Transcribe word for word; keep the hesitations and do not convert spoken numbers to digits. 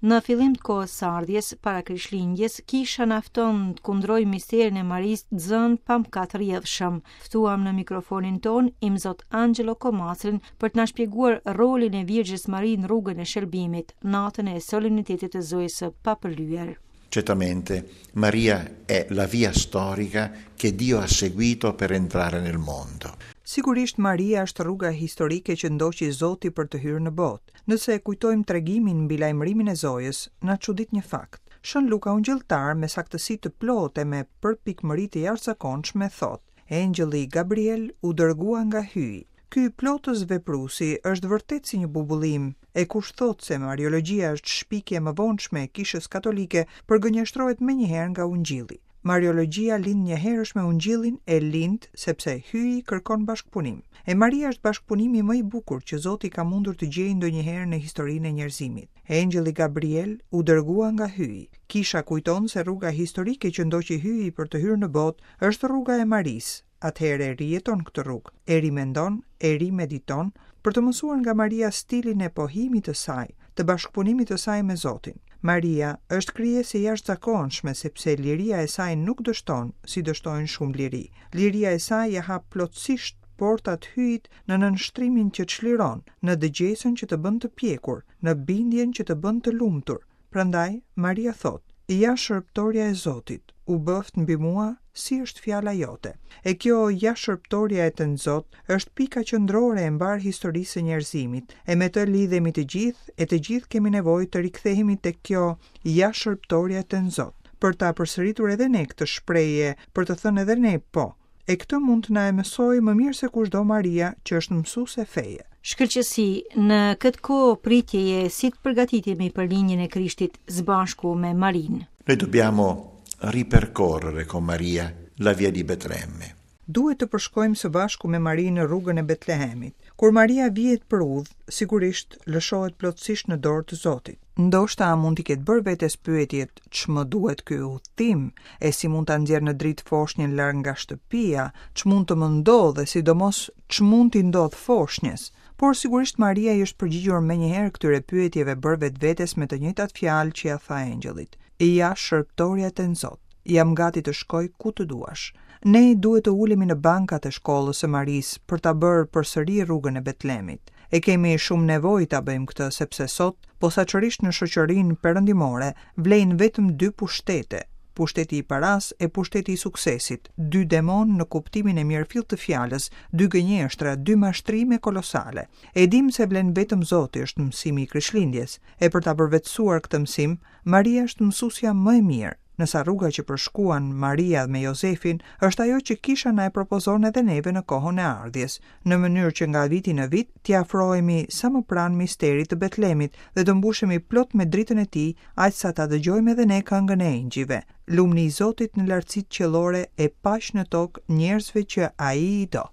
Në fillim të kohës së ardhjes, para Krishtlindjes, kisha na fton të kundrojmë misterin e Marisë të zënë pa mëkat rrjedhshëm. Ftuam në mikrofonin ton Imzot Angelo Comastrin për të na shpjeguar rolin e Virgjës Mari në rrugën e shëlbimit, natën e solemnitetit të Zojës së Papërlyer. Certamente Maria è la via storica che Dio ha seguito per entrare nel mondo. Sigurisht Maria është rruga historike që ndoqi Zoti për të hyrë në botë. Nëse e kujtojmë tregimin mbi lajmërimin e Zojës, na çudit një fakt. Shën Luka Ungjilltar me saktësi të plotë e me përpikmëri të jashtëzakonshme thotë: Engjëlli Gabriel u dërgua nga Hyji. Ky plotës vepruesi është vërtet si një bubullim, e kush thotë se Mariologjia është shpikje e mëvonshme e Kishës Katolike, përgënjeshtrohet menjëherë nga Ungjilli. Mariologjia lind njëherësh me Ungjillin e lind sepse Hyji kërkon bashkëpunim. E Maria është bashkëpunimi më i bukur që Zoti ka mundur të gjejë ndonjëherë në historinë e njerëzimit. Engjëlli Gabriel u dërgua nga Hyji. Kisha kujton se rruga historike që ndoqi Hyji për të hyrë në botë është rruga e Marisë. Atëherë e rijeton këtë rrugë, e rimendon, e rimediton, për të mësuar nga Maria stilin e pohimit të saj, të bashkëpunimit të saj me Zotin. Maria është krijesë e jashtëzakonshme sepse liria e saj nuk dështon, si dështojnë shumë liri. Liria e saj ja hap plotësisht portat Hyjit në nënshtrimin që çliron, në dëgjesën që të bën të pjekur, në bindjen që të bën të lumtur. Prandaj Maria thotë: Ja shërbëtorja e Zotit, u bëft mbi mua si është fjala jote. E kjo ja shërbëtorja e Tënzot është pika qendrore e mbar historisë së njerëzimit, e me të lidhemi të gjithë, e të gjithë kemi nevojë të rikthehemi tek kjo ja shërbëtorja e Tënzot, për ta përsëritur edhe ne këtë shprehje, për të thënë edhe ne po. E këtë mund të na e mësojë më mirë se kushdo Maria, që është mësuese feje. Shkëlqesi, në këtë kohë pritjeje si të përgatitemi për lindjen e Krishtit së bashku me Marinë? Noi dobbiamo ripercorrere con Maria la via di Betlemme. Duhet të përshkojmë së bashku me Marinë rrugën e Betlehemit. Kur Maria vihet për udhë, sigurisht lëshohet plotësisht në dorë të Zotit. Ndoshta mund t'i ketë bërë vetes pyetjet, ç'më duhet ky udhtim, e si mund ta nxjerr në dritë foshnjën larg nga shtëpia, ç'mund të më ndodhë e sidomos ç'mund t'i ndodh foshnjës. Por sigurisht Maria i është përgjigjur menjëherë këtyre pyetjeve bërë vetvetes me të njëjtat fjalë që ja tha engjëllit. Ja shërbëtorja e Tënzot, jam gati të shkoj ku të duash. Ne duhet të ulemi në bankat e shkollës së Marisë për ta bërë përsëri rrugën e Betlemit. E kemi shumë nevojë ta bëjmë këtë sepse sot, posaçërisht në shoqërinë perëndimore, vlejnë vetëm dy pushtete, pushteti i paras e pushteti i suksesit, dy demon në kuptimin e mirëfillt të fjalës, dy gënjeshtra, dy mashtrime kolosale. E dim se vlen vetëm Zoti, është mësimi i Krishtlindjes, e për ta përvetësuar këtë mësim, Maria është mësuesja më e mirë. Nësa rruga që përshkuan Maria me Jozefin është ajo që kisha na e propozon edhe neve në kohën e ardhjes, në mënyrë që nga viti në vit t'i afrohemi sa më pranë misterit të Betlemit dhe të mbushemi plot me dritën e tij, aq sa ta dëgjojmë edhe ne këngën e engjëjve. Lumni i Zotit në lartësitë qiellore e paq në tokë njerëzve që ai i do.